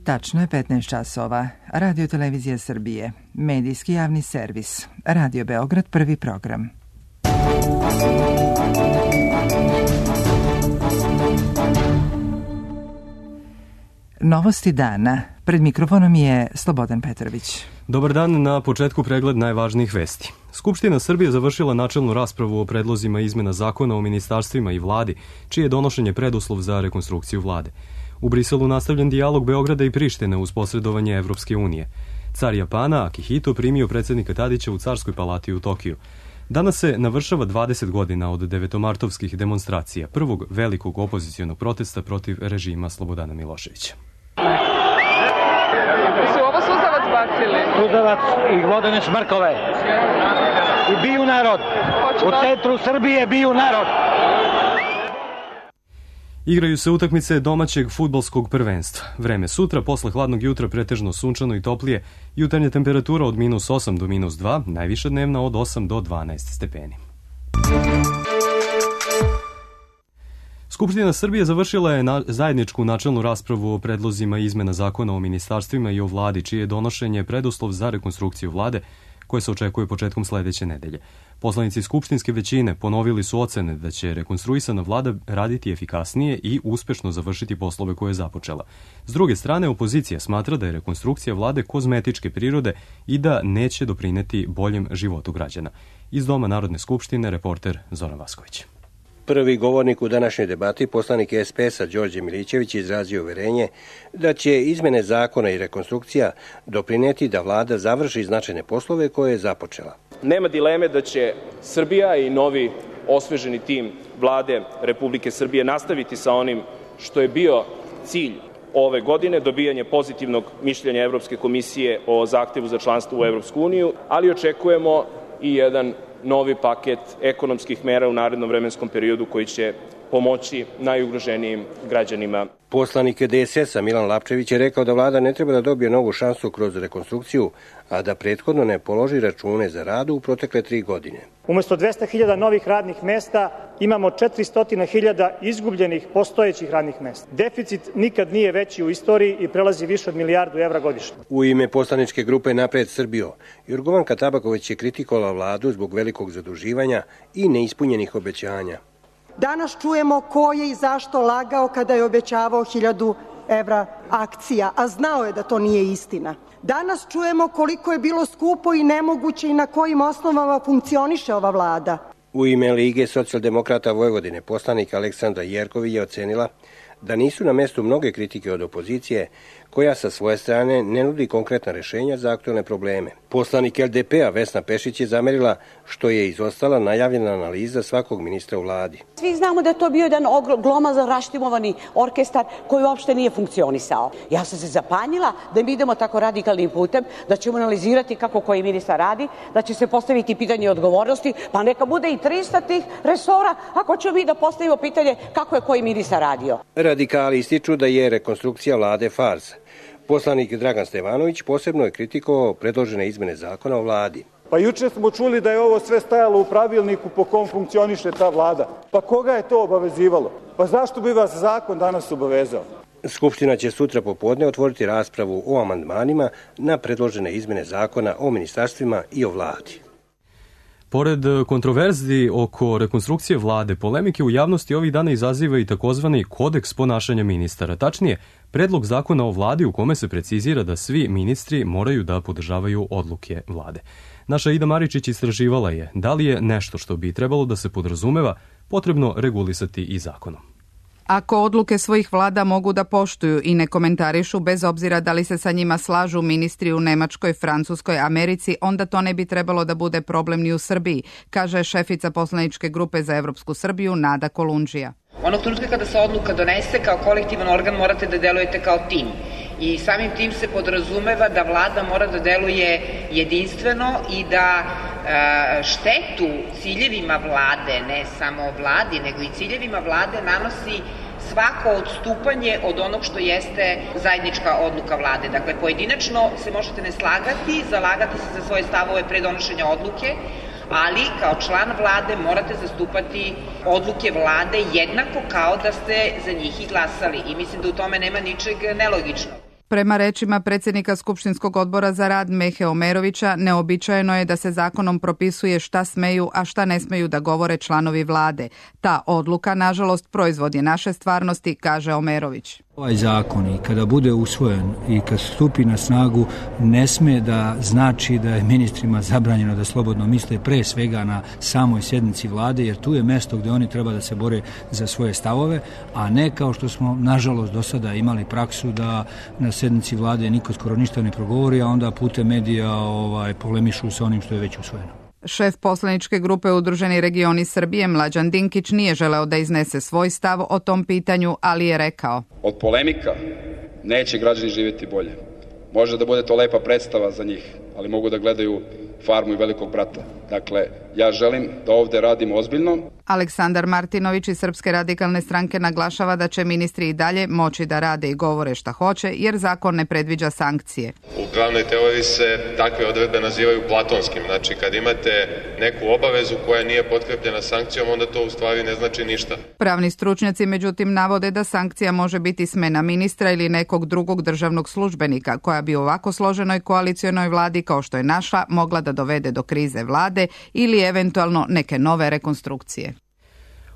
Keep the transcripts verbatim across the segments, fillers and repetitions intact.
Tačno je petnaest časova. Radio Televizija Srbije. Medijski javni servis. Radio Beograd, prvi program. Novosti dana. Pred mikrofonom je Slobodan Petrović. Dobar dan, na početku pregled najvažnijih vesti. Skupština Srbije završila načelnu raspravu o predlozima izmena zakona o ministarstvima i vladi, čije je donošenje preduslov za rekonstrukciju vlade. U Briselu nastavljen dijalog Beograda i Prištine uz posredovanje Evropske unije. Car Japana, Akihito, primio predsjednika Tadića u Carskoj palati u Tokiju. Danas se navršava dvadeset godina od devetomartovskih demonstracija, prvog velikog opozicionog protesta protiv režima Slobodana Miloševića. Su ovo suzavac bacili? Suzavac i vodene smrkove. I biju narod. U centru Srbije biju narod. Igraju se utakmice domaćeg fudbalskog prvenstva. Vreme sutra, posle hladnog jutra pretežno sunčano i toplije, jutarnja temperatura od minus osam do minus dva, najviša dnevna od osam do dvanaest stepeni. Skupština Srbije završila je na zajedničku načelnu raspravu o predlozima izmena zakona o ministarstvima i o vladi, čije je donošenje preduslov za rekonstrukciju vlade, koje se očekuje početkom sledeće nedelje. Poslanici skupštinske većine ponovili su ocene da će rekonstruisana vlada raditi efikasnije i uspešno završiti poslove koje je započela. S druge strane, opozicija smatra da je rekonstrukcija vlade kozmetičke prirode i da neće doprineti boljem životu građana. Iz Doma Narodne skupštine, reporter Zoran Vasković. Prvi govornik u današnjoj debati, poslanik S P S-a Đorđe Milićević, izrazio uverenje da će izmene zakona i rekonstrukcija doprineti da vlada završi značajne poslove koje je započela. Nema dileme da će Srbija i novi osveženi tim vlade Republike Srbije nastaviti sa onim što je bio cilj ove godine, dobijanje pozitivnog mišljenja Evropske komisije o zahtevu za članstvo u Evropsku uniju, ali očekujemo i jedan novi paket ekonomskih mera u narednom vremenskom periodu koji će pomoći najugroženijim građanima. Poslanik D S S-a Milan Lapčević je rekao da vlada ne treba da dobije novu šansu kroz rekonstrukciju, a da prethodno ne položi račune za rad u protekle tri godine. Umesto dvesta hiljada novih radnih mesta imamo četiristo hiljada izgubljenih postojećih radnih mesta. Deficit nikad nije veći u istoriji i prelazi više od milijardu evra godišnje. U ime poslaničke grupe Napred Srbijo, Jorgovanka Tabaković je kritikovala vladu zbog velikog zaduživanja i neispunjenih obećanja. Danas čujemo ko je i zašto lagao kada je obećavao hiljadu evra akcija, a znao je da to nije istina. Danas čujemo koliko je bilo skupo i nemoguće i na kojim osnovama funkcioniše ova vlada. U ime Lige socijaldemokrata Vojvodine poslanik Aleksandra Jerković je ocenila da nisu na mestu mnoge kritike od opozicije, koja sa svoje strane ne nudi konkretna rešenja za aktuelne probleme. Poslanik L D P-a Vesna Pešić je zamerila što je izostala najavljena analiza svakog ministra u vladi. Svi znamo da je to bio jedan glomazan raštimovani orkestar koji uopšte nije funkcionisao. Ja sam se zapanjila da mi idemo tako radikalnim putem, da ćemo analizirati kako koji ministar radi, da će se postaviti pitanje odgovornosti, pa neka bude i tristo tih resora, ako ćemo mi da postavimo pitanje kako je koji ministar radio. Radikali ističu da je rekonstrukcija vlade farsa. Poslanik Dragan Stevanović posebno je kritikovao predložene izmene zakona o vladi. Pa juče smo čuli da je ovo sve stajalo u pravilniku po kom funkcioniše ta vlada. Pa koga je to obavezivalo? Pa zašto bi vas zakon danas obavezao? Skupština će sutra popodne otvoriti raspravu o amandmanima na predložene izmene zakona o ministarstvima i o vladi. Pored kontroverzi oko rekonstrukcije vlade, polemike u javnosti ovih dana izaziva i takozvani kodeks ponašanja ministara. Tačnije, predlog zakona o vladi u kome se precizira da svi ministri moraju da podržavaju odluke vlade. Naša Ida Maričić istraživala je da li je nešto što bi trebalo da se podrazumeva potrebno regulisati i zakonom. Ako odluke svojih vlada mogu da poštuju i ne komentarišu bez obzira da li se sa njima slažu ministri u Nemačkoj, Francuskoj, Americi, onda to ne bi trebalo da bude problem ni u Srbiji, kaže šefica poslaničke grupe za Evropsku Srbiju Nada Kolundžija. Onog trenutka kada se odluka donese kao kolektivan organ morate da delujete kao tim. I samim tim se podrazumeva da vlada mora da deluje jedinstveno i da e, štetu ciljevima vlade, ne samo vladi, nego i ciljevima vlade nanosi svako odstupanje od onog što jeste zajednička odluka vlade. Dakle, pojedinačno se možete ne slagati, zalagati se za svoje stavove pre donošenja odluke, ali kao član vlade morate zastupati odluke vlade jednako kao da ste za njih i glasali. I mislim da u tome nema ničeg nelogičnog. Prema rečima predsjednika Skupštinskog odbora za rad Mehe Omerovića, neobičajeno je da se zakonom propisuje šta smeju, a šta ne smeju da govore članovi vlade. Ta odluka, nažalost, proizvod je naše stvarnosti, kaže Omerović. Ovaj zakon i kada bude usvojen i kad stupi na snagu ne sme da znači da je ministrima zabranjeno da slobodno misle pre svega na samoj sjednici vlade, jer tu je mesto gdje oni treba da se bore za svoje stavove, a ne kao što smo nažalost do sada imali praksu da na sjednici vlade niko skoro ništa ne progovori, a onda putem medija ovaj, polemišu sa onim što je već usvojeno. Šef poslaničke grupe Udruženi regioni Srbije Mlađan Dinkić nije želeo da iznese svoj stav o tom pitanju, ali je rekao: Od polemika neće građani živjeti bolje. Može da bude to lepa predstava za njih, ali mogu da gledaju Farmu i Velikog brata. Dakle, ja želim da ovde radimo ozbiljno. Aleksandar Martinović iz Srpske radikalne stranke naglašava da će ministri i dalje moći da rade i govore šta hoće, jer zakon ne predviđa sankcije. U pravnoj teoriji se takve odredbe nazivaju platonskim. Znači, kad imate neku obavezu koja nije potkrepljena sankcijom, onda to u stvari ne znači ništa. Pravni stručnjaci međutim navode da sankcija može biti smena ministra ili nekog drugog državnog službenika, koja bi u ovako složenoj koalicionoj vladi kao što je naša mogla da dovede do krize vlade ili eventualno neke nove rekonstrukcije.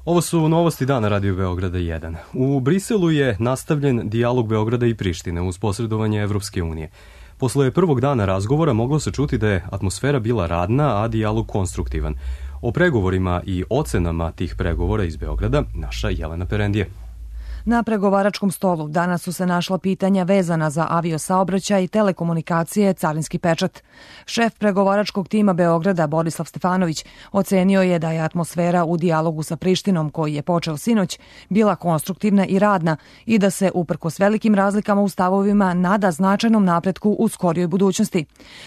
Ovo su novosti dana Radio Beograda jedan. U Briselu je nastavljen dijalog Beograda i Prištine uz posredovanje Evropske unije. Posle prvog dana razgovora moglo se čuti da je atmosfera bila radna, a dijalog konstruktivan. O pregovorima i ocenama tih pregovora iz Beograda naša Jelena Perendije. Na pregovaračkom stolu danas su se našla pitanja vezana za aviosaobraćaj, telekomunikacije, carinski pečat. Šef pregovaračkog tima Beograda Borislav Stefanović ocenio je da je atmosfera u dijalogu sa Prištinom, koji je počeo sinoć, bila konstruktivna i radna i da se, uprkos velikim razlikama u stavovima, nada značajnom napretku u skorijoj budućnosti.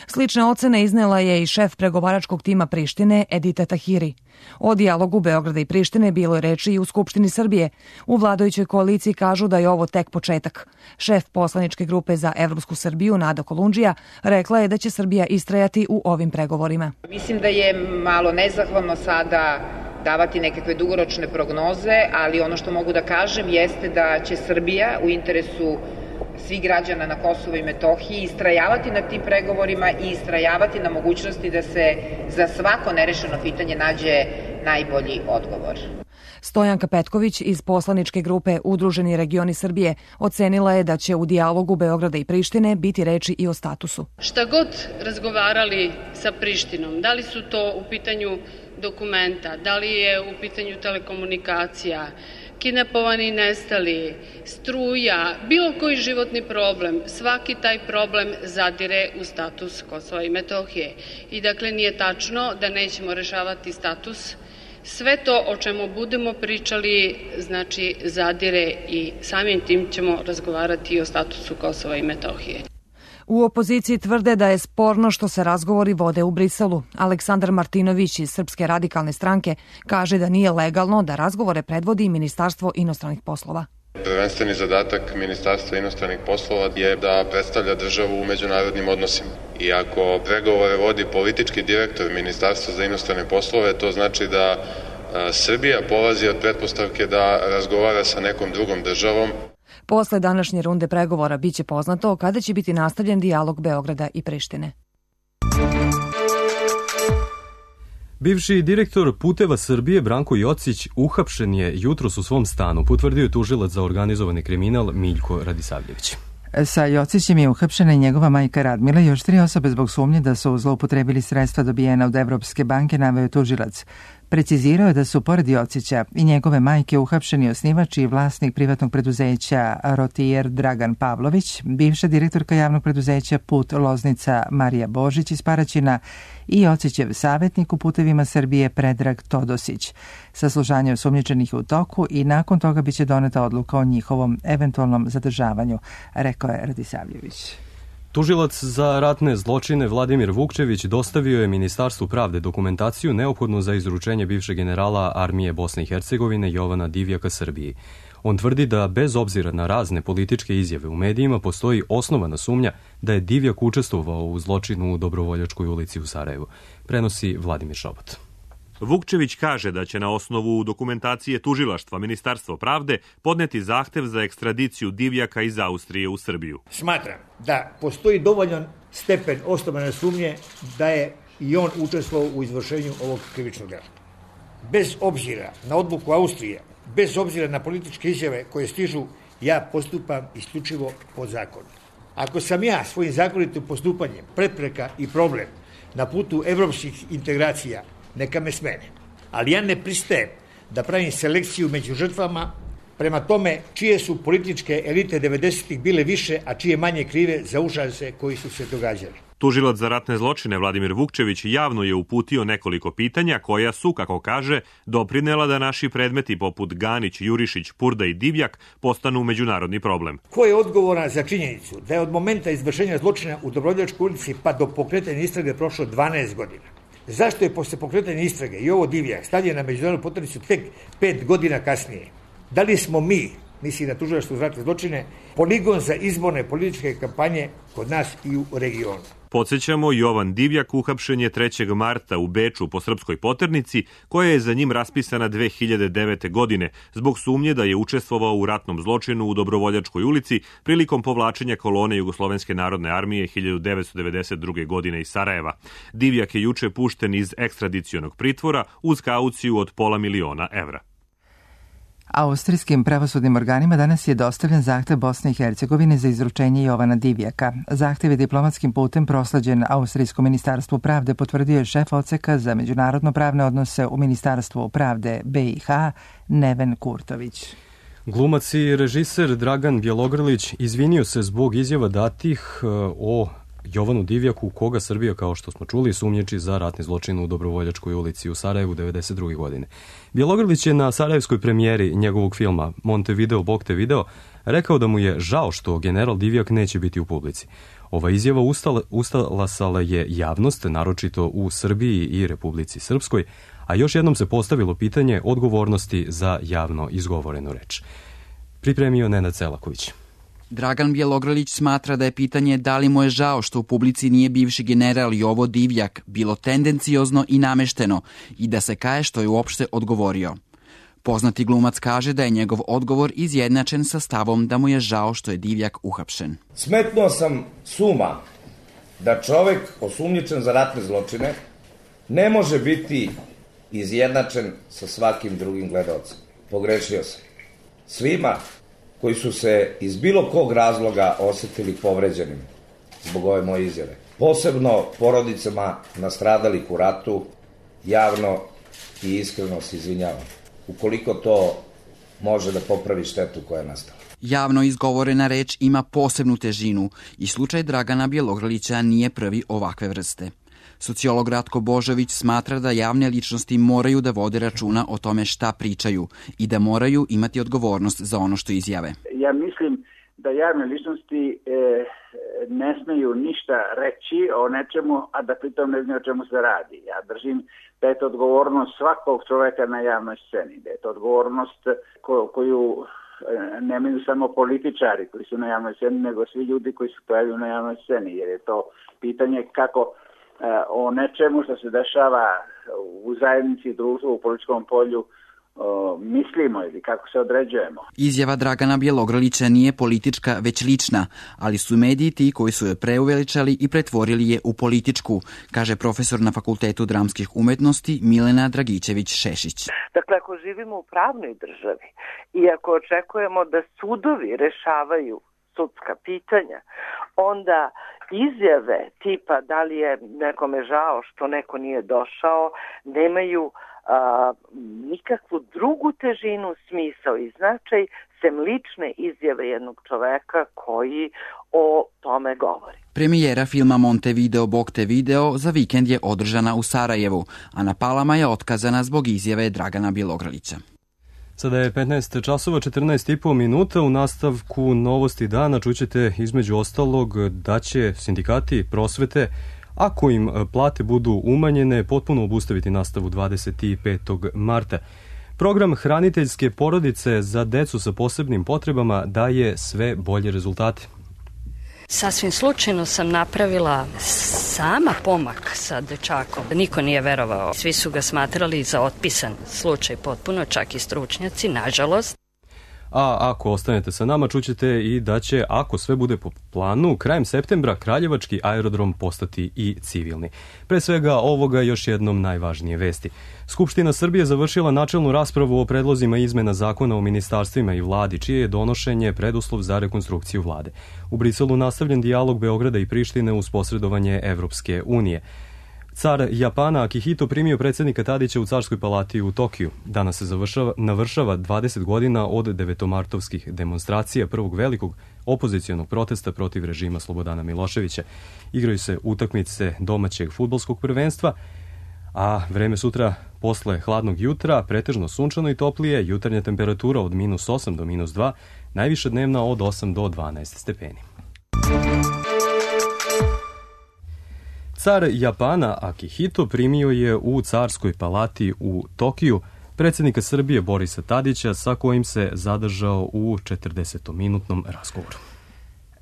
Slične ocene iznela je i šef pregovaračkog tima Prištine Edita Tahiri. O dijalogu Beograda i Prištine bilo je reči i u Skupštini Srbije. U vladajućoj koaliciji kažu da je ovo tek početak. Šef poslaničke grupe za Evropsku Srbiju Nada Kolundžija rekla je da će Srbija istrajati u ovim pregovorima. Mislim da je malo nezahvalno sada davati nekakve dugoročne prognoze, ali ono što mogu da kažem jeste da će Srbija u interesu svih građana na Kosovu i Metohiji istrajavati na tim pregovorima i istrajavati na mogućnosti da se za svako nerešeno pitanje nađe najbolji odgovor. Stojanka Petković iz poslaničke grupe Udruženi regioni Srbije ocenila je da će u dijalogu Beograda i Prištine biti reči i o statusu. Šta god razgovarali sa Prištinom, da li su to u pitanju dokumenta, da li je u pitanju telekomunikacija, kidnapovani i nestali, struja, bilo koji životni problem, svaki taj problem zadire u status Kosova i Metohije. I dakle nije tačno da nećemo rešavati status. Sve to o čemu budemo pričali, znači zadire i samim tim ćemo razgovarati i o statusu Kosova i Metohije. U opoziciji tvrde da je sporno što se razgovori vode u Briselu. Aleksandar Martinović iz Srpske radikalne stranke kaže da nije legalno da razgovore predvodi Ministarstvo inostranih poslova. Prvenstveni zadatak Ministarstva inostranih poslova je da predstavlja državu u međunarodnim odnosima. I ako pregovore vodi politički direktor Ministarstva za inostrane poslove, to znači da Srbija polazi od pretpostavke da razgovara sa nekom drugom državom. Posle današnje runde pregovora biće poznato kada će biti nastavljen dijalog Beograda i Prištine. Bivši direktor Puteva Srbije Branko Jocić uhapšen je jutros u svom stanu, potvrdio je tužilac za organizovani kriminal Miljko Radisavljević. Sa Jocićem je uhapšena i njegova majka Radmila i još tri osobe zbog sumnje da su zloupotrebili sredstva dobijena od Evropske banke, naveo tužilac. Precizirao je da su pored Jocića i njegove majke uhapšeni osnivač i vlasnik privatnog preduzeća Rotijer Dragan Pavlović, bivša direktorka javnog preduzeća Put Loznica Marija Božić iz Paraćina i Jocićev savjetnik u Putevima Srbije Predrag Todosić. Saslušanje osumnjičenih u toku i nakon toga biće doneta odluka o njihovom eventualnom zadržavanju, rekao je Radisavljević. Tužilac za ratne zločine Vladimir Vukčević dostavio je Ministarstvu pravde dokumentaciju neophodnu za izručenje bivšeg generala armije Bosne i Hercegovine Jovana Divjaka Srbiji. On tvrdi da bez obzira na razne političke izjave u medijima postoji osnovana sumnja da je Divjak učestvovao u zločinu u Dobrovoljačkoj ulici u Sarajevu, prenosi Vladimir Šobot. Vukčević kaže da će na osnovu dokumentacije tužilaštva Ministarstvo pravde podneti zahtev za ekstradiciju Divjaka iz Austrije u Srbiju. Smatram da postoji dovoljan stepen osnovane sumnje da je i on učestvovao u izvršenju ovog krivičnog dela. Bez obzira na odluku Austrije, bez obzira na političke izjave koje stižu, ja postupam isključivo po zakonu. Ako sam ja svojim zakonitim postupanjem prepreka i problem na putu evropskih integracija, neka me smene. Ali ja ne pristajem da pravim selekciju među žrtvama prema tome čije su političke elite devedesetih bile više, a čije manje krive za užase koji su se događali. Tužilac za ratne zločine Vladimir Vukčević javno je uputio nekoliko pitanja koja su, kako kaže, doprinela da naši predmeti poput Ganić, Jurišić, Purda i Divjak postanu međunarodni problem. Ko je odgovoran za činjenicu da je od momenta izvršenja zločina u Dobrovoljačkoj ulici pa do pokretanja istrage prošlo dvanaest godina? Zašto je posle pokretanja istrage i ovo Divjak stavljen na međunarodnu poternicu tek pet godina kasnije? Da li smo mi, misli na tužilaštvo za ratne zločine, poligon za izborne političke kampanje kod nas i u regionu? Podsjećamo, Jovan Divjak uhapšen je trećeg marta u Beču po srpskoj poternici, koja je za njim raspisana dve hiljade devete. godine, zbog sumnje da je učestvovao u ratnom zločinu u Dobrovoljačkoj ulici prilikom povlačenja kolone Jugoslovenske narodne armije hiljadu devetsto devedeset druge. godine iz Sarajeva. Divjak je juče pušten iz ekstradicionog pritvora uz kauciju od pola miliona evra. Austrijskim pravosudnim organima danas je dostavljen zahtev Bosne i Hercegovine za izručenje Jovana Divjaka. Zahtev je diplomatskim putem proslađen Austrijskom ministarstvu pravde, potvrdio je šef odseka za međunarodno pravne odnose u Ministarstvu pravde B i H Neven Kurtović. Glumac i režiser Dragan Bjelogrlić izvinio se zbog izjava datih o Jovanu Divjaku, koga Srbija, kao što smo čuli, sumnjiči za ratni zločin u Dobrovoljačkoj ulici u Sarajevu devedeset druge. godine. Bjelogrlić je na sarajevskoj premijeri njegovog filma Montevideo, Bog te video, rekao da mu je žao što general Divjak neće biti u publici. Ova izjava ustala, ustalasala je javnost, naročito u Srbiji i Republici Srpskoj, a još jednom se postavilo pitanje odgovornosti za javno izgovorenu reč. Pripremio Nenad Selaković. Dragan Bjelogrlić smatra da je pitanje da li mu je žao što u publici nije bivši general Jovo Divjak bilo tendenciozno i namešteno i da se kaje što je uopšte odgovorio. Poznati glumac kaže da je njegov odgovor izjednačen sa stavom da mu je žao što je Divjak uhapšen. Smetnuo sam suma da čovek osumnjičen za ratne zločine ne može biti izjednačen sa svakim drugim gledaocem. Pogrešio sam. Svima koji su se iz bilo kog razloga osetili povređenim zbog ove moje izjave, posebno porodicama nastradalih u ratu, javno i iskreno se izvinjavam, ukoliko to može da popravi štetu koja je nastala. Javno izgovorena reč ima posebnu težinu i slučaj Dragana Bjelogrlića nije prvi ovakve vrste. Sociolog Ratko Božović smatra da javne ličnosti moraju da vode računa o tome šta pričaju i da moraju imati odgovornost za ono što izjave. Ja mislim da javne ličnosti e, ne smeju ništa reći o nečemu, a da pritom ne znaju o čemu se radi. Ja držim da je to odgovornost svakog čoveka na javnoj sceni, da je to odgovornost ko, koju nemaju samo političari koji su na javnoj sceni, nego svi ljudi koji se pojavljaju na javnoj sceni, jer je to pitanje kako o nečemu što se dešava u zajednici, društvu, u političkom polju mislimo ili kako se određujemo. Izjava Dragana Bjelogrlića nije politička, već lična, ali su mediji ti koji su je preuveličali i pretvorili je u političku, kaže profesor na Fakultetu dramskih umetnosti Milena Dragičević-Šešić. Dakle, ako živimo u pravnoj državi i ako očekujemo da sudovi rešavaju sudska pitanja, onda izjave tipa da li je nekome žao što neko nije došao, nemaju a, nikakvu drugu težinu, smisao i značaj, sem lične izjave jednog čoveka koji o tome govori. Premijera filma Montevideo, Bog te video za vikend je održana u Sarajevu, a na Palama je otkazana zbog izjave Dragana Bjelogrlića. Sada je petnaest časova četrnaest i po minuta. U nastavku Novosti dana čućete između ostalog da će sindikati prosvete, ako im plate budu umanjene, potpuno obustaviti nastavu dvadeset petog marta. Program hraniteljske porodice za decu sa posebnim potrebama daje sve bolje rezultate. Sasvim slučajno sam napravila sama pomak sa dečakom. Niko nije verovao. Svi su ga smatrali za otpisan slučaj potpuno, čak i stručnjaci, nažalost. A ako ostanete sa nama, čućete i da će, ako sve bude po planu, krajem septembra Kraljevački aerodrom postati i civilni. Pre svega ovoga još jednom najvažnije vesti. Skupština Srbije završila načelnu raspravu o predlozima izmena zakona o ministarstvima i vladi, čije je donošenje preduslov za rekonstrukciju vlade. U Briselu nastavljen dijalog Beograda i Prištine uz posredovanje Evropske unije. Car Japana Akihito primio predsjednika Tadića u Carskoj palati u Tokiju. Danas se završava, navršava dvadeset godina od devetomartovskih demonstracija, prvog velikog opozicionog protesta protiv režima Slobodana Miloševića. Igraju se utakmice domaćeg fudbalskog prvenstva, a vreme sutra posle hladnog jutra pretežno sunčano i toplije, jutarnja temperatura od minus osam do minus dva, najviša dnevna od osam do dvanaest stepeni. Car Japana Akihito primio je u Carskoj palati u Tokiju predsjednika Srbije Borisa Tadića, sa kojim se zadržao u četrdesetminutnom razgovoru.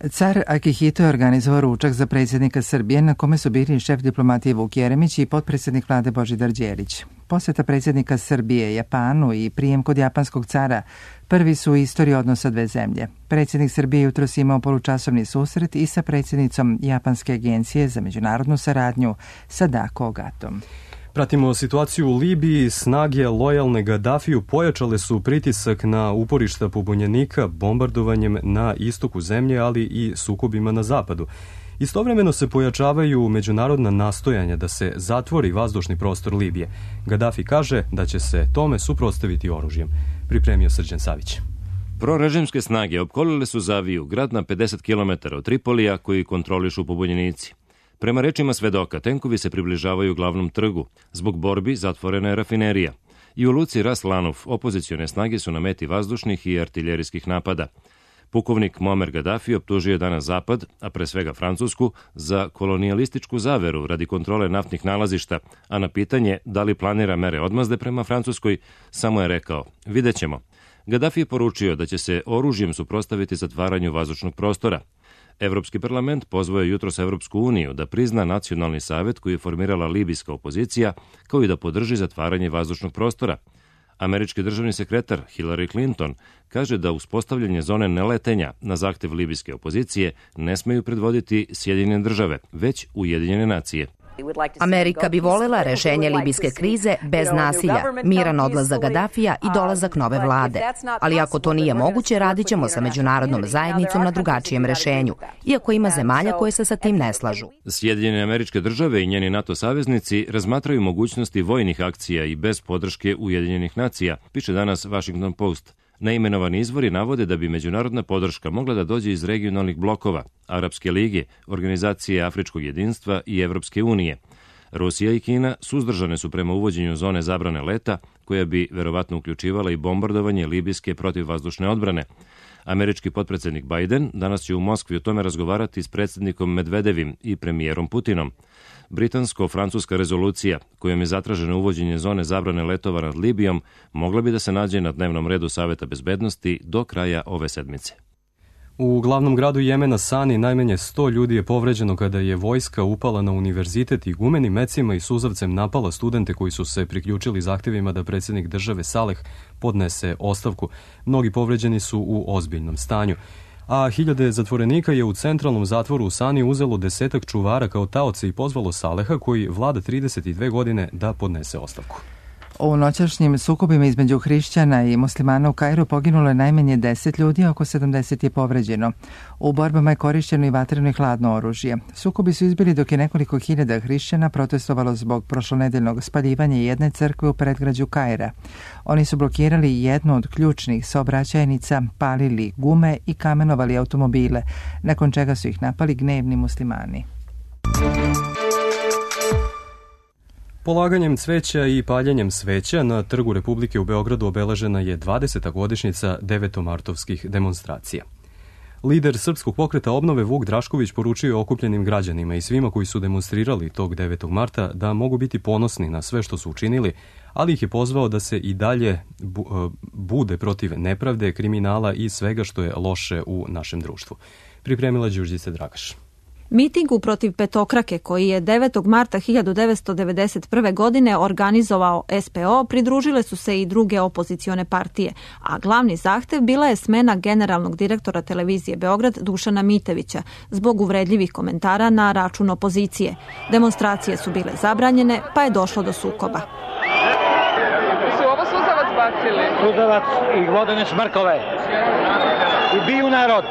Car Akihito je organizovao ručak za predsjednika Srbije, na kome su bili šef diplomatije Vuk Jeremić i potpredsjednik vlade Božidar Đelić. Posjeta predsjednika Srbije Japanu i prijem kod japanskog cara prvi su u istoriji odnosa dve zemlje. Predsjednik Srbije jutros imao polučasovni susret i sa predsjednicom Japanske agencije za međunarodnu saradnju Sadako Ogatom. Pratimo situaciju u Libiji. Snage lojalne Gadafiju pojačale su pritisak na uporišta pobunjenika bombardovanjem na istoku zemlje, ali i sukobima na zapadu. Istovremeno se pojačavaju međunarodna nastojanja da se zatvori vazdušni prostor Libije. Gadafi kaže da će se tome suprotstaviti oružjem. Pripremio Srđan Savić. Prorežimske snage opkolile su Zaviju, grad na pedeset kilometara od Tripolija, koji kontrolišu pobunjenici. Prema rečima svedoka, tenkovi se približavaju glavnom trgu. Zbog borbi zatvorena je rafinerija. I u luci Ras Lanuf opozicione snage su na meti vazdušnih i artiljerijskih napada. Pukovnik Muammar Gaddafi optužio je danas Zapad, a pre svega Francusku, za kolonijalističku zaveru radi kontrole naftnih nalazišta, a na pitanje da li planira mere odmazde prema Francuskoj, samo je rekao: vidjet ćemo. Gaddafi je poručio da će se oružjem suprotstaviti zatvaranju vazdušnog prostora. Evropski parlament pozvao je jutros Evropsku uniju da prizna nacionalni savet koji je formirala libijska opozicija, kao i da podrži zatvaranje vazdušnog prostora. Američki državni sekretar Hillary Clinton kaže da uspostavljanje zone neletenja na zahtev libijske opozicije ne smeju predvoditi Sjedinjene države, već Ujedinjene nacije. Amerika bi volela rešenje libijske krize bez nasilja, miran odlazak Gadafija i dolazak nove vlade. Ali ako to nije moguće, radit ćemo sa međunarodnom zajednicom na drugačijem rešenju, iako ima zemalja koje se sa tim ne slažu. Sjedinjene Američke države i njeni NATO saveznici razmatraju mogućnosti vojnih akcija i bez podrške Ujedinjenih nacija, piše danas Washington Post. Neimenovani izvori navode da bi međunarodna podrška mogla da dođe iz regionalnih blokova, Arapske lige, Organizacije Afričkog jedinstva i Evropske unije. Rusija i Kina suzdržane su prema uvođenju zone zabrane leta, koja bi verovatno uključivala i bombardovanje libijske protivvazdušne odbrane. Američki potpredsjednik Biden danas će u Moskvi o tome razgovarati s predsjednikom Medvedevim i premijerom Putinom. Britansko-francuska rezolucija, kojom je zatraženo uvođenje zone zabrane letova nad Libijom, mogla bi da se nađe na dnevnom redu Saveta bezbednosti do kraja ove sedmice. U glavnom gradu Jemena Sani najmanje sto ljudi je povređeno kada je vojska upala na univerzitet i gumenim mecima i suzavcem napala studente koji su se priključili zahtjevima da predsjednik države Saleh podnese ostavku. Mnogi povređeni su u ozbiljnom stanju. A hiljade zatvorenika je u centralnom zatvoru u Sani uzelo desetak čuvara kao taoce i pozvalo Saleha, koji vlada trideset dve godine, da podnese ostavku. U noćašnjim sukobima između hrišćana i muslimana u Kairu poginulo je najmanje deset ljudi, a oko sedamdeset je povređeno. U borbama je korišćeno i vatreno i hladno oružje. Sukobi su izbili dok je nekoliko hiljada hrišćana protestovalo zbog prošlonedeljnog spaljivanja jedne crkve u predgrađu Kaira. Oni su blokirali jednu od ključnih saobraćajnica, palili gume i kamenovali automobile, nakon čega su ih napali gnevni muslimani. Polaganjem cveća i paljenjem sveća na Trgu Republike u Beogradu obeležena je dvadeseta godišnjica devetomartovskih demonstracija. Lider Srpskog pokreta obnove Vuk Drašković poručio je okupljenim građanima i svima koji su demonstrirali tog devetog marta da mogu biti ponosni na sve što su učinili, ali ih je pozvao da se i dalje bude protiv nepravde, kriminala i svega što je loše u našem društvu. pripremila Đurđica Dragaš. Mitingu protiv petokrake koji je devetog marta hiljadu devetsto devedeset prve. godine organizovao S P O pridružile su se i druge opozicione partije, a glavni zahtev bila je smena generalnog direktora televizije Beograd Dušana Mitevića zbog uvredljivih komentara na račun opozicije. Demonstracije su bile zabranjene, pa je došlo do sukoba. Su ovo suzavac bacili? Suzavac i vodene smrkove. I biju narod.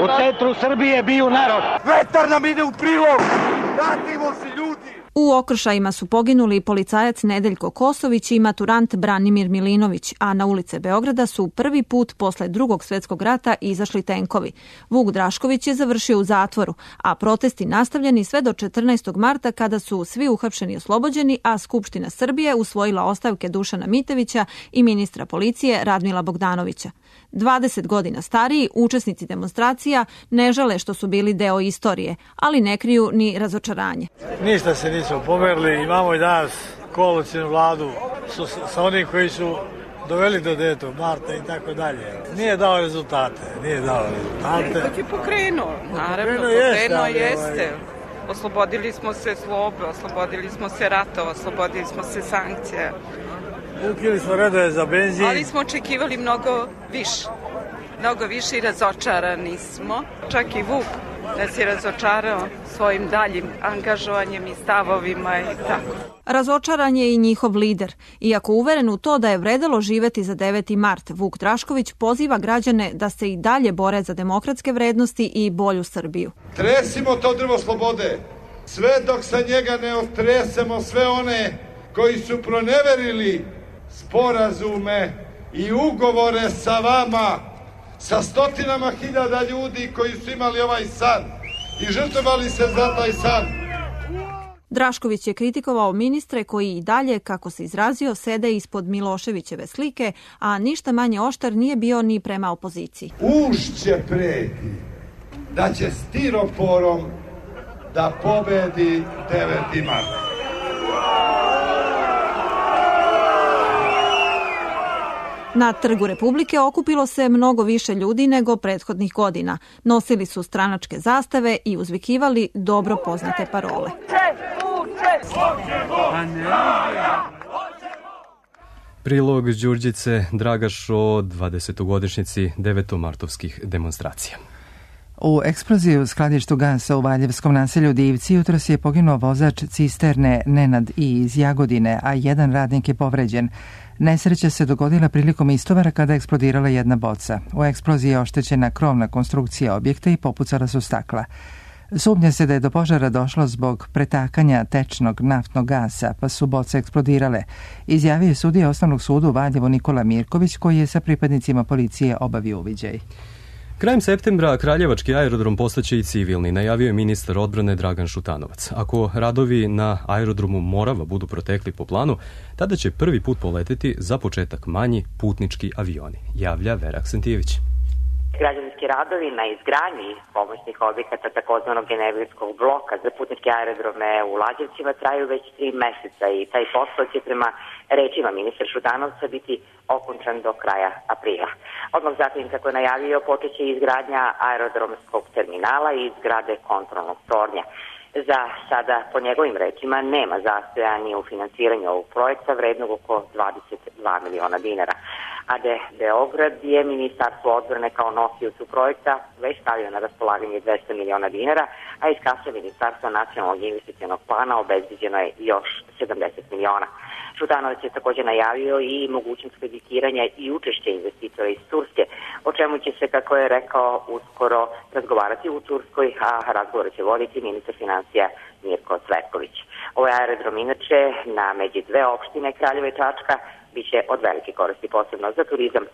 U centru Srbije biju narod. Vetar nam ide u prilog. Vratimo se ljudi. U okršajima su poginuli i policajac Nedeljko Kosović i maturant Branimir Milinović, a na ulice Beograda su prvi put posle drugog svjetskog rata izašli tenkovi. Vuk Drašković je završio u zatvoru, a protesti nastavljeni sve do četrnaestog marta kada su svi uhapšeni i oslobođeni, a Skupština Srbije usvojila ostavke Dušana Mitevića i ministra policije Radmila Bogdanovića. dvadeset godina stariji učesnici demonstracija ne žale što su bili deo istorije, ali ne kriju ni razočaranje. Ništa se nismo pomerili, imamo i danas koalicijnu vladu sa onih koji su doveli do devetog marta i tako dalje. Nije dao rezultate, nije dao rezultate. Ipak je pokrenuo, naravno, pokrenuo jeste. Pokrenuo jeste. Oslobodili smo se zlobe, oslobodili smo se ratova, oslobodili smo se sankcija. Ukili smo redove za benzin. Ali smo očekivali mnogo više. Mnogo više i razočarani smo. Čak i Vuk nas je razočarao svojim daljim angažovanjem i stavovima i tako. Razočaran je i njihov lider. Iako uveren u to da je vredelo živeti za deveti mart, Vuk Drašković poziva građane da se i dalje bore za demokratske vrednosti i bolju Srbiju. Tresimo to drvo slobode, sve dok sa njega ne otresemo sve one koji su proneverili sporazume i ugovore sa vama, sa stotinama hiljada ljudi koji su imali ovaj san i žrtvovali se za taj san. Drašković je kritikovao ministre koji i dalje, kako se izrazio, sede ispod Miloševićeve slike, a ništa manje oštar nije bio ni prema opoziciji. Ušće preti da će stiroporom da pobedi deveti mart. Na Trgu Republike okupilo se mnogo više ljudi nego prethodnih godina. Nosili su stranačke zastave i uzvikivali dobro poznate parole. Prilog Đurđice Dragaš o dvadesetogodišnjici devetomartovskih demonstracija. U eksploziji u skladištu gasa u Valjevskom naselju Divci jutros je poginuo vozač cisterne Nenad I iz Jagodine, a jedan radnik je povređen. Nesreća se dogodila prilikom istovara kada je eksplodirala jedna boca. U eksploziji je oštećena krovna konstrukcija objekta i popucala su stakla. Sumnja se da je do požara došlo zbog pretakanja tečnog naftnog gasa, pa su boce eksplodirale, izjavio je sudija Osnovnog suda u Valjevu Nikola Mirković, koji je sa pripadnicima policije obavio uviđaj. Krajem septembra Kraljevački aerodrom postaće i civilni, najavio je ministar odbrane Dragan Šutanovac. Ako radovi na aerodromu Morava budu protekli po planu, tada će prvi put poleteti za početak manji putnički avioni, javlja Vera Aksentijević. Građevinski radovi na izgradnji pomoćnih objekata takozvanog generalskog bloka za putničke aerodrome u Lađevcima traju već tri meseca i taj posao će prema rečima ministra Šutanovca biti okončan do kraja aprila. Odmah zatim, kako je najavio, počeće izgradnja aerodromskog terminala i zgrade kontrolnog tornja. Za sada, po njegovim rečima, nema zastoja ni u financiranju ovog projekta vrednog oko dvadeset dva miliona dinara. A de Beograd je Ministarstvo odbrane kao nosiocu projekta već stavio na raspolaganje dvesta miliona dinara, a iz kase Ministarstva nacionalnog investicionog plana obezbeđeno je još sedamdeset miliona. Šutanovac je također najavio i mogućnost kreditiranja i učešće investitora iz Turske, o čemu će se, kako je rekao, uskoro razgovarati u Turskoj, a razgovor će voditi ministar financija Mirko Cvetković. Ovaj aerodrom inače na među dve opštine Kraljeva i Čačka biće od velike koristi, posebno za turizam,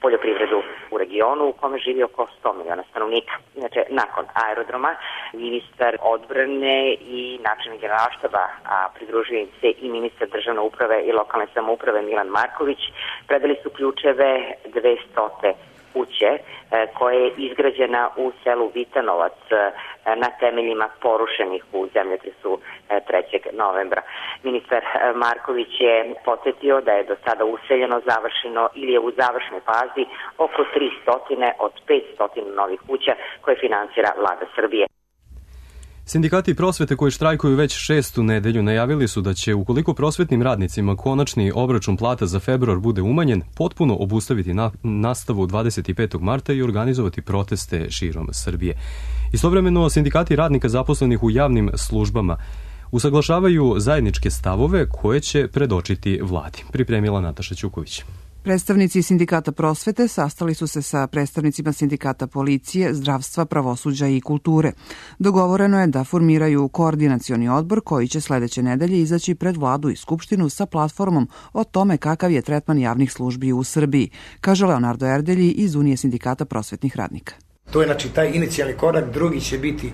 poljoprivredu u regionu u kome živi oko sto miliona stanovnika. Inače, nakon aerodroma, ministar odbrane i načelnik generalštaba, a pridružuje im se i ministar državne uprave i lokalne samouprave Milan Marković, predali su ključeve dvestote kuće koja je izgrađena u selu Vitanovac na temeljima porušenih u zemljotresu trećeg novembra. Ministar Marković je podsjetio da je do sada useljeno, završeno ili je u završnoj fazi oko tristo od petsto novih kuća koje finansira Vlada Srbije. Sindikati prosvete koji štrajkuju već šestu nedelju najavili su da će, ukoliko prosvetnim radnicima konačni obračun plata za februar bude umanjen, potpuno obustaviti na, nastavu dvadeset petog marta i organizovati proteste širom Srbije. Istovremeno, sindikati radnika zaposlenih u javnim službama usaglašavaju zajedničke stavove koje će predočiti vladi. Pripremila Nataša Ćuković. Predstavnici sindikata prosvete sastali su se sa predstavnicima sindikata policije, zdravstva, pravosuđa i kulture. Dogovoreno je da formiraju koordinacioni odbor koji će sledeće nedelje izaći pred vladu i skupštinu sa platformom o tome kakav je tretman javnih službi u Srbiji, kaže Leonardo Erdelji iz Unije sindikata prosvetnih radnika. To je znači taj inicijalni korak, drugi će biti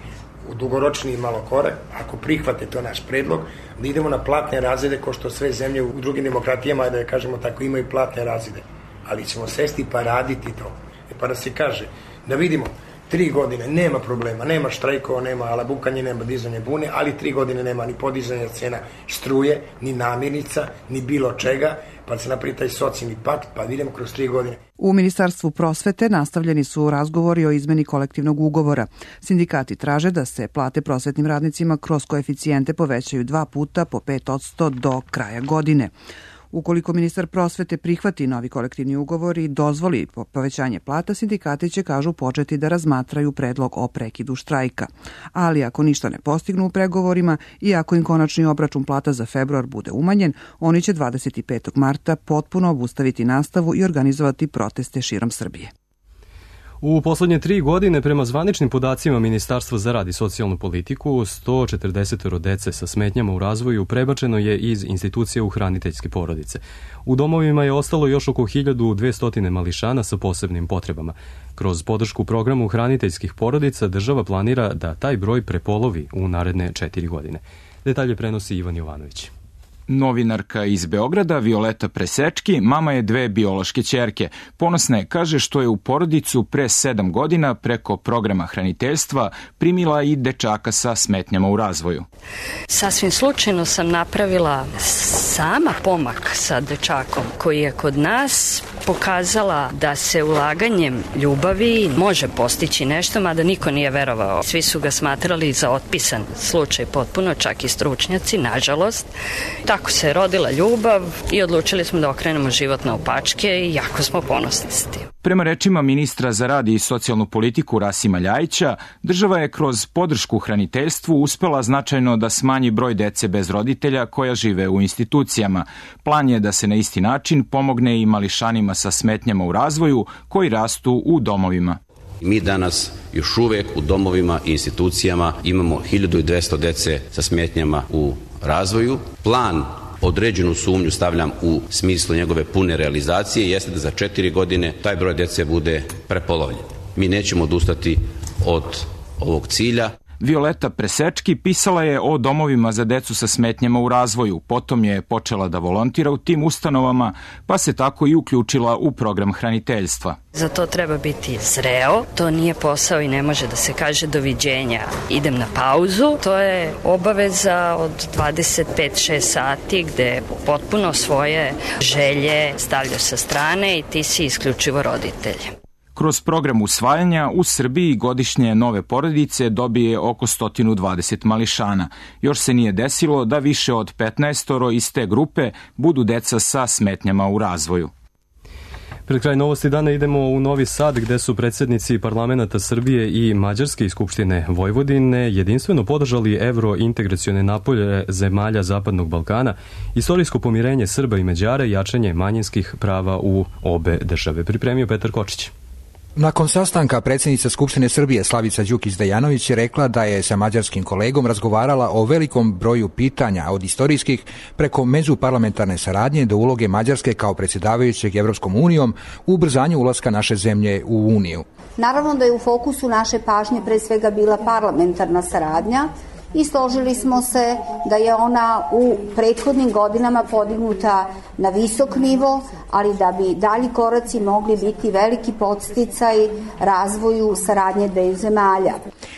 u dugoročniji malo korak, ako prihvate to naš predlog, da idemo na platne razrede ko što sve zemlje u drugim demokratijama, da kažemo tako, imaju platne razrede. Ali ćemo sesti pa raditi to. E pa da se kaže, da vidimo, tri godine nema problema, nema štrajkova, nema alabukanje, nema dizanje bune, ali tri godine nema ni podizanja cena struje, ni namirnica, ni bilo čega, pa se napravi taj socijalni pakt, pa vidimo kroz tri godine. U Ministarstvu prosvete nastavljeni su razgovori o izmeni kolektivnog ugovora. Sindikati traže da se plate prosvetnim radnicima kroz koeficijente povećaju dva puta po pet posto do kraja godine. Ukoliko ministar prosvete prihvati novi kolektivni ugovor i dozvoli povećanje plata, sindikati će, kažu, početi da razmatraju predlog o prekidu štrajka. Ali ako ništa ne postignu u pregovorima i ako im konačni obračun plata za februar bude umanjen, oni će dvadeset petog marta potpuno obustaviti nastavu i organizovati proteste širom Srbije. U poslednje tri godine, prema zvaničnim podacima Ministarstva za rad i socijalnu politiku, sto četrdeset dece sa smetnjama u razvoju prebačeno je iz institucija u hraniteljske porodice. U domovima je ostalo još oko hiljadu dvesta mališana sa posebnim potrebama. Kroz podršku programu hraniteljskih porodica država planira da taj broj prepolovi u naredne četiri godine. Detalje prenosi Ivan Jovanović. Novinarka iz Beograda, Violeta Presečki, mama je dve biološke ćerke. Ponosna je, kaže, što je u porodicu pre sedam godina preko programa hraniteljstva primila i dečaka sa smetnjama u razvoju. Sasvim slučajno sam napravila sama pomak sa dečakom koji je kod nas pokazala da se ulaganjem ljubavi može postići nešto, mada niko nije verovao. Svi su ga smatrali za otpisan slučaj potpuno, čak i stručnjaci, nažalost. Tako se rodila ljubav i odlučili smo da okrenemo život na opačke i jako smo ponosni s tim. Prema rečima ministra za rad i socijalnu politiku Rasima Ljajića, država je kroz podršku hraniteljstvu uspela značajno da smanji broj dece bez roditelja koja žive u institucijama. Plan je da se na isti način pomogne i mališanima sa smetnjama u razvoju koji rastu u domovima. Mi danas još uvek u domovima i institucijama imamo hiljadu dvesta dece sa smetnjama u razvoju. Plan, određenu sumnju stavljam u smislu njegove pune realizacije, jeste da za četiri godine taj broj dece bude prepolovljen. Mi nećemo odustati od ovog cilja. Violeta Presečki pisala je o domovima za decu sa smetnjama u razvoju, potom je počela da volontira u tim ustanovama, pa se tako i uključila u program hraniteljstva. Za to treba biti zreo, to nije posao i ne može da se kaže doviđenja, idem na pauzu. To je obaveza od dvadeset pet do šest sati gde potpuno svoje želje stavljaš sa strane i ti si isključivo roditelj. Kroz program usvajanja u Srbiji godišnje nove porodice dobije oko sto dvadeset mališana. Još se nije desilo da više od petnaestoro iz te grupe budu deca sa smetnjama u razvoju. Pred kraj novosti dana idemo u Novi Sad gde su predsjednici parlamenta Srbije i Mađarske i Skupštine Vojvodine jedinstveno podržali evrointegracione napore zemalja Zapadnog Balkana, istorijsko pomirenje Srba i Mađara i jačanje manjinskih prava u obe države. Pripremio Petar Kočić. Nakon sastanka predsjednica Skupštine Srbije Slavica Đukić-Dejanović je rekla da je sa mađarskim kolegom razgovarala o velikom broju pitanja od istorijskih preko međuparlamentarne saradnje do uloge Mađarske kao predsjedavajućeg Evropskom unijom u ubrzanju ulaska naše zemlje u Uniju. Naravno da je u fokusu naše pažnje pre svega bila parlamentarna saradnja i složili smo se da je ona u prethodnim godinama podignuta na visok nivo, ali da bi dalji koraci mogli biti veliki podsticaj razvoju saradnje dveju zemalja.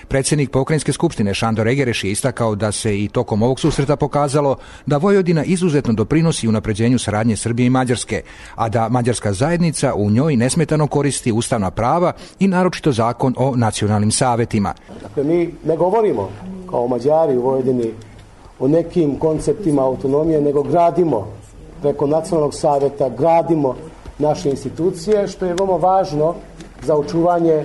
Predsjednik Pokrajinske skupštine Šandor Egereš je istakao da se i tokom ovog susreta pokazalo da Vojvodina izuzetno doprinosi unapređenju saradnje Srbije i Mađarske, a da mađarska zajednica u njoj nesmetano koristi ustavna prava i naročito zakon o nacionalnim savetima. Dakle, mi ne govorimo kao Mađari u Vojvodini o nekim konceptima autonomije, nego gradimo preko nacionalnog saveta, gradimo naše institucije, što je veoma važno za očuvanje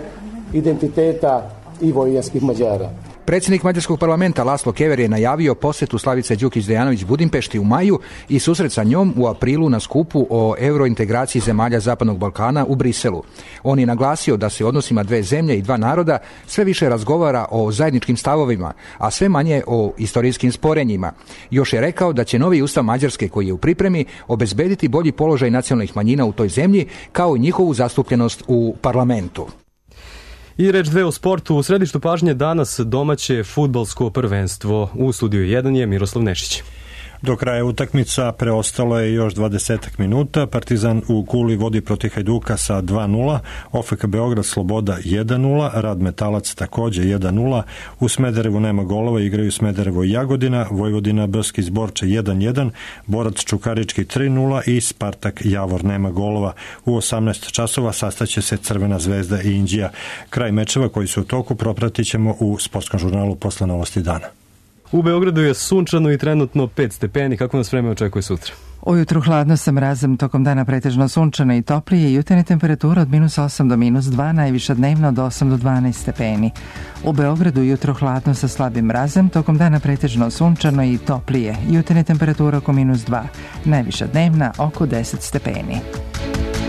identiteta i vojvođanskih Mađara. Predsjednik mađarskog parlamenta Laslo Kever je najavio posjetu Slavice Đukić-Dejanović Budimpešti u maju i susret sa njom u aprilu na skupu o eurointegraciji zemalja Zapadnog Balkana u Briselu. On je naglasio da se u odnosima dve zemlje i dva naroda sve više razgovara o zajedničkim stavovima, a sve manje o istorijskim sporenjima. Još je rekao da će novi ustav Mađarske koji je u pripremi obezbediti bolji položaj nacionalnih manjina u toj zemlji kao i njihovu zastupljenost u parlamentu. I reč dve o sportu. U središtu pažnje danas domaće fudbalsko prvenstvo. U studiju jedan je Miroslav Nešić. Do kraja utakmica preostalo je još dvadeset minuta. Partizan u Kuli vodi protiv Hajduka sa dva nula, O F K Beograd Sloboda jedan nula, Rad Metalac takođe jedan nula, u Smederevu nema golova, igraju Smederevo i Jagodina, Vojvodina Brski Zborče jedan jedan, Borac Čukarički tri nula i Spartak Javor nema golova. U osamnaest časova sastaće se Crvena zvezda i Inđija. Kraj mečeva koji su u toku propratit ćemo u sportskom žurnalu posle novosti dana. U Beogradu je sunčano i trenutno pet stepeni. Kako nas vreme očekuje sutra? Ujutru hladno sa mrazom, tokom dana pretežno sunčano i toplije, jutarnje temperatura od minus osam do minus dva, najviša dnevno od osam do dvanaest stepeni. U Beogradu jutro hladno sa slabim mrazom, tokom dana pretežno sunčano i toplije, jutarnje temperatura oko minus dva, najviša dnevna oko deset stepeni.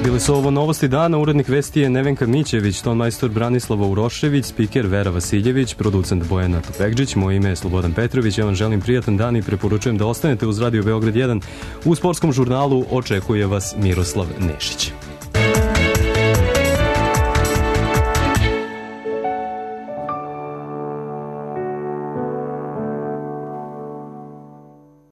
Bili su ovo novosti dana, urednik vesti je Nevenka Mićević, ton majstor Branislava Urošević, spiker Vera Vasiljević, producent Bojana Topegđić, moje ime je Slobodan Petrović, ja vam želim prijatan dan i preporučujem da ostanete uz Radio Beograd jedan. U sportskom žurnalu očekuje vas Miroslav Nešić.